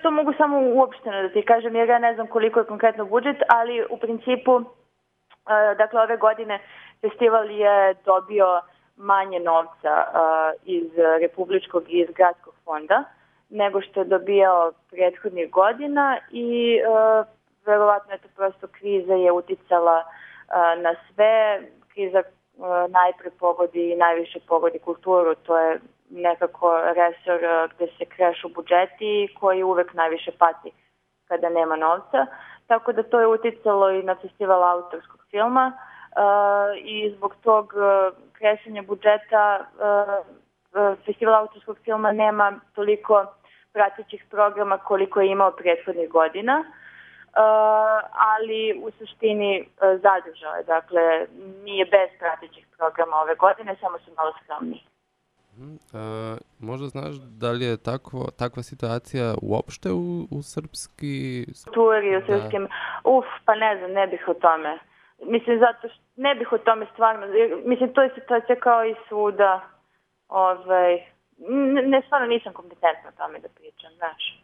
To mogu samo uopšteno da ti kažem, jer ja ne znam koliko je konkretno budžet, ali u principu, dakle, ove godine festival je dobio manje novca iz republičkog i iz gradskog fonda nego što je dobijao prethodnih godina i verovatno je to prosto kriza je uticala na sve. Kriza najpre pogodi i najviše pogodi kulturu, to je nekako resor gde se krešu budžeti koji uvek najviše pati kada nema novca. Tako da to je uticalo i na festival autorskog filma i zbog tog krešenja budžeta festival autorskog filma nema toliko pratećih programa koliko je imao prethodnih godina, ali u suštini zadržao je. Dakle, nije bez pratećih programa ove godine, samo su malo skromniji. Možda znaš da li je takva situacija uopšte u srpski... Kulturi, u srpskim... Pa ne znam, ne bih o tome. Mislim, zato što ne bih o tome stvarno... Mislim, to je situacija kao i svuda. Stvarno nisam kompetentna o tome da pričam, znaš.